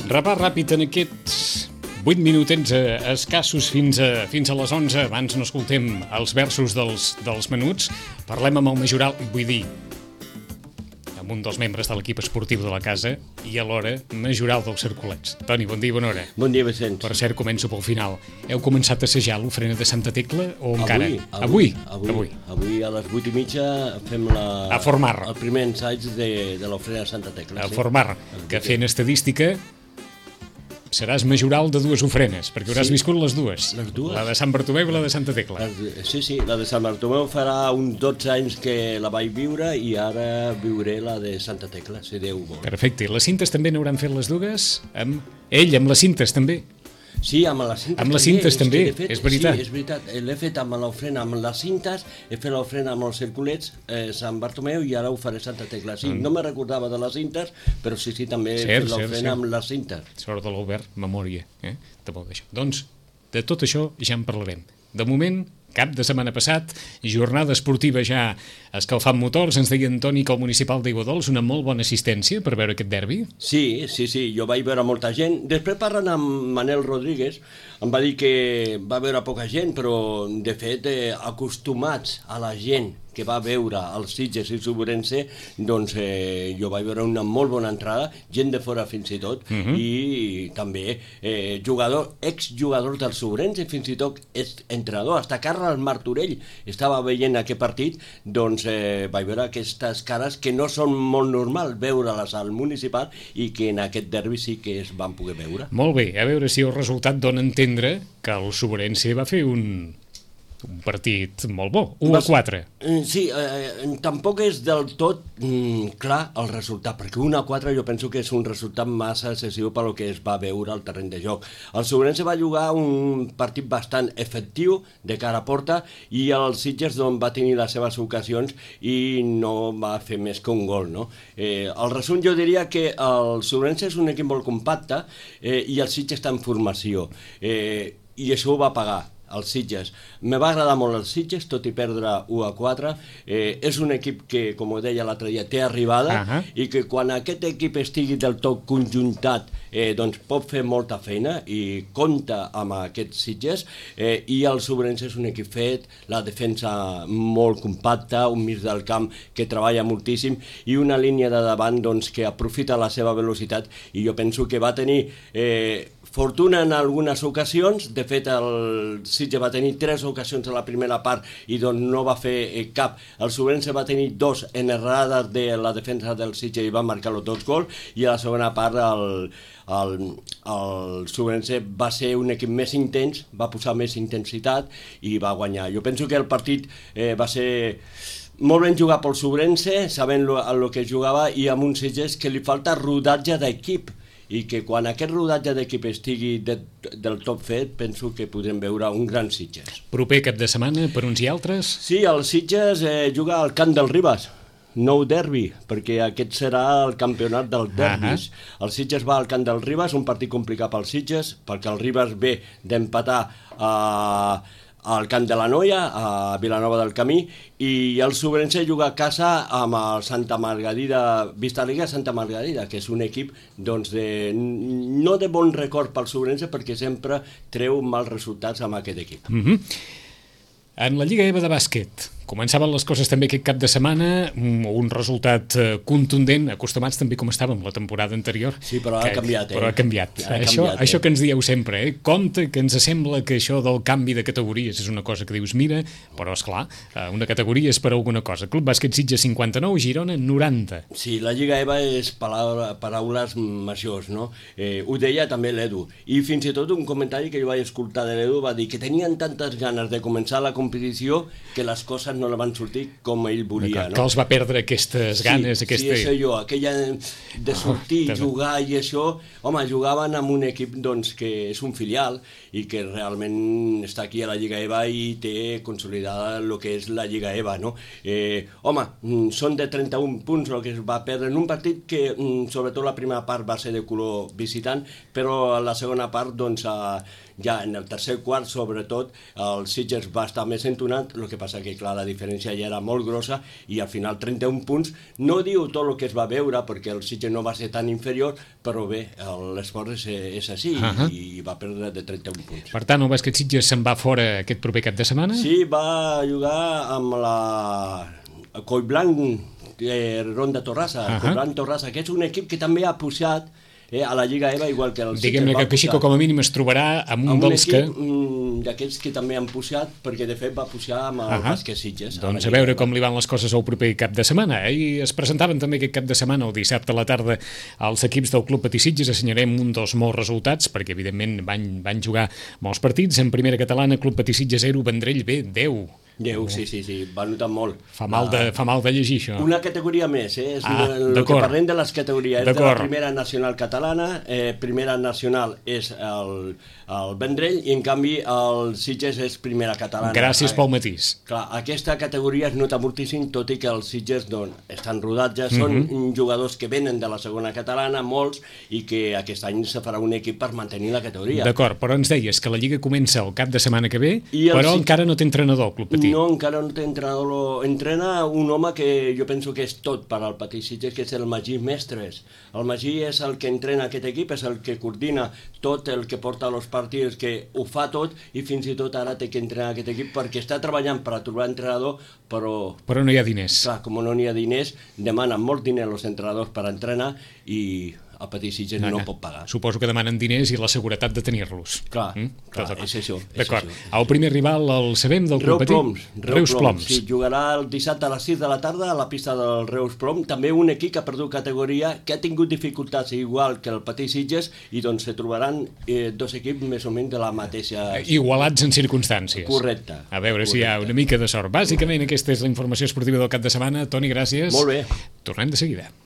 Repàs ràpid en aquests 8 minutets escassos fins a les 11. Abans no escoltem els versos dels menuts. Parlem amb el Majoral, vull dir, amb un dels membres de l'equip esportiu de la casa i alhora Majoral dels Cercolets. Toni, bon dia i bona hora. Bon dia, Vicenç. Per cert, començo pel final. Heu començat a assajar l'ofrena de Santa Tecla o encara? Avui a les 8:30 fem a Formar. El primer ensaig de l'ofrena de Santa Tecla. A Formar, que fent estadística seràs majoral de dues ofrenes, perquè hauràs viscut les dues. Les dues. La de Sant Bartomeu i la de Santa Tecla. Sí, la de Sant Bartomeu farà uns 12 anys que la vaig viure i ara viuré la de Santa Tecla, si Déu vol. Perfecte. I les cintes també n'hauran fet les dues? Amb les cintes també? Sí, amb les cintes també. Amb les cintes també, és veritat. Sí, és veritat. L'he fet amb l'ofrena, amb les cintes, he fet l'ofrena amb els circulets, Sant Bartomeu, i ara ho faré Santa Tecla. Sí, no me recordava de les cintes, però sí, també he fet l'ofrena amb les cintes. Sort de l'Albert, memòria, de molt d'això. Doncs, de tot això ja en parlarem. De moment, cap de setmana passat, jornada esportiva ja escalfant motors, ens deia Antoni que el municipal d'Aiguadols una molt bona assistència per veure aquest derbi. Sí, jo vaig veure molta gent. Després parlant amb Manel Rodríguez, em va dir que va veure poca gent, però de fet acostumats a la gent que va veure els Sitges i Subrense, doncs jo vaig veure una molt bona entrada, gent de fora fins i tot, i també exjugador del Subrense, fins i tot entrenador, hasta Carles Martorell estava veient aquest partit, doncs vaig veure aquestes cares que no són molt normal veure-les al municipal i que en aquest derbi sí que es van poder veure. Molt bé, a veure si el resultat dona a entendre que el Subrense va fer un partit molt bo, 1-4. Sí, tampoc és del tot clar el resultat, perquè 1-4 jo penso que és un resultat massa excessiu per lo que es va veure al terreny de joc. El Subrense va jugar un partit bastant efectiu de cara a porta i el Sitges va tenir les seves ocasions i no va fer més que un gol, no? El resum jo diria que el Subrense és un equip molt compacte i el Sitges està en formació i això ho va pagar els Sitges. Me va agradar molt els Sitges, tot i perdre 1-4. És un equip que, com ho deia l'altre dia, té arribada i que quan aquest equip estigui del tot conjuntat doncs pot fer molta feina i compta amb aquests Sitges i el Subrense és un equip fet, la defensa molt compacta, un mig del camp que treballa moltíssim i una línia de davant doncs, que aprofita la seva velocitat i jo penso que va tenir fortuna en algunes ocasions. De fet el Sitges va tenir 3 ocasions a la primera part i doncs no va fer cap. El Subrense va tenir 2 en errades de la defensa del Sitges i va marcar els 2 gols i a la segona part el Subrense va ser un equip més intens, va posar més intensitat i va guanyar. Jo penso que el partit va ser molt ben jugat pel Subrense, sabent el que jugava i amb un Sitges que li falta rodatge d'equip i que quan aquest rodatge d'equip estigui del tot fet, penso que podrem veure un gran Sitges. Proper cap de setmana per uns i altres? Sí, el Sitges juga al Camp del Ribes, nou derbi, perquè aquest serà el campionat dels derbis. El Sitges va al Camp del Ribes, un partit complicat pel Sitges, perquè el Ribes ve d'empatar al Camp de la Noia, a Vilanova del Camí, i el Subrense juga a casa amb el Santa Margarida, Vistaliga Santa Margarida, que és un equip doncs, no de bon record pel Subrense perquè sempre treu mals resultats amb aquest equip. En la Lliga EVA de bàsquet, començaven les coses també aquest cap de setmana, un resultat contundent, acostumats també com estàvem la temporada anterior. Sí, però ha canviat. Però ha canviat. Això que ens dieu sempre, compte que ens sembla que això del canvi de categories és una cosa que dius, mira, però esclar, una categoria és per alguna cosa. Club Bàsquet Sitges 59, Girona 90. Sí, la Lliga EVA és paraules majors, no? Ho deia també l'Edu. I fins i tot un comentari que jo vaig escoltar de l'Edu va dir que tenien tantes ganes de començar la competició que les coses no la van sortir com ell volia. Que els va perdre aquestes ganes. Sí, això jo, aquella de sortir, jugar i això. Home, jugaven amb un equip doncs, que és un filial i que realment està aquí a la Lliga EVA i té consolidada el que és la Lliga EVA, no? Home, són de 31 punts el que es va perdre en un partit que sobretot la primera part va ser de color visitant, però la segona part doncs ja en el tercer quart, sobretot, el Sitges va estar més entonat, el que passa que, clar, la diferència ja era molt grossa i al final 31 punts, no diu tot el que es va veure, perquè el Sitges no va ser tan inferior, però bé, l'esport és així i va perdre de 31 punts. Per tant, el bàsquet Sitges se'n va fora aquest proper cap de setmana? Sí, va jugar amb la Collblanc Ronda Torrassa. Collblanc Torrassa, que és un equip que també ha pujat a la Lliga EVA, igual que el Sitges. Diguem-ne que Xico com a mínim es trobarà amb un dels que... d'aquests que també han pujat, perquè de fet va pujar amb el bàsquet Sitges. Doncs a veure com li van les coses al proper cap de setmana. I es presentaven també aquest cap de setmana, el dissabte a la tarda, els equips del Club Patí Sitges. Assenyarem un dels molts resultats, perquè evidentment van jugar molts partits. En primera catalana, Club Patí Sitges 0, Vendrell B 10. Sí, va notar molt. Fa mal de llegir, això. Una categoria més, és el que parlem de les categories. És de la primera nacional catalana, primera nacional és el Vendrell, i en canvi el Sitges és primera catalana. Gràcies pel matís. Clar, aquesta categoria es nota moltíssim, tot i que els Sitges estan rodats ja, són jugadors que venen de la segona catalana, molts, i que aquest any se farà un equip per mantenir la categoria. D'acord, però ens deies que la Lliga comença el cap de setmana que ve, però encara no té entrenador el Club Patí. No, encara no té entrenador. Entrena un home que jo penso que és tot per al Patí Sitges, que és el Magí Mestres. El Magí és el que entrena aquest equip, és el que coordina tot, el que porta els partits, que ho fa tot, i fins i tot ara té que entrenar aquest equip perquè està treballant per a trobar entrenador, però no hi ha diners. Clar, com no hi ha diners, demanen molt diners els entrenadors per entrenar i el Patí Sitges no pot pagar. Suposo que demanen diners i la seguretat de tenir-los. Clar, és això. D'acord. El primer rival el sabem del Club Patí? Reus Ploms. Sí, jugarà el dissabte a les 6 de la tarda a la pista del Reus Ploms. També un equip que ha perdut categoria, que ha tingut dificultats igual que el Patí Sitges, i doncs se trobaran dos equips més o menys de la mateixa... Igualats en circumstàncies. Correcte. A veure si hi ha una mica de sort. Bàsicament aquesta és la informació esportiva del cap de setmana. Toni, gràcies. Molt bé. Tornem de seguida.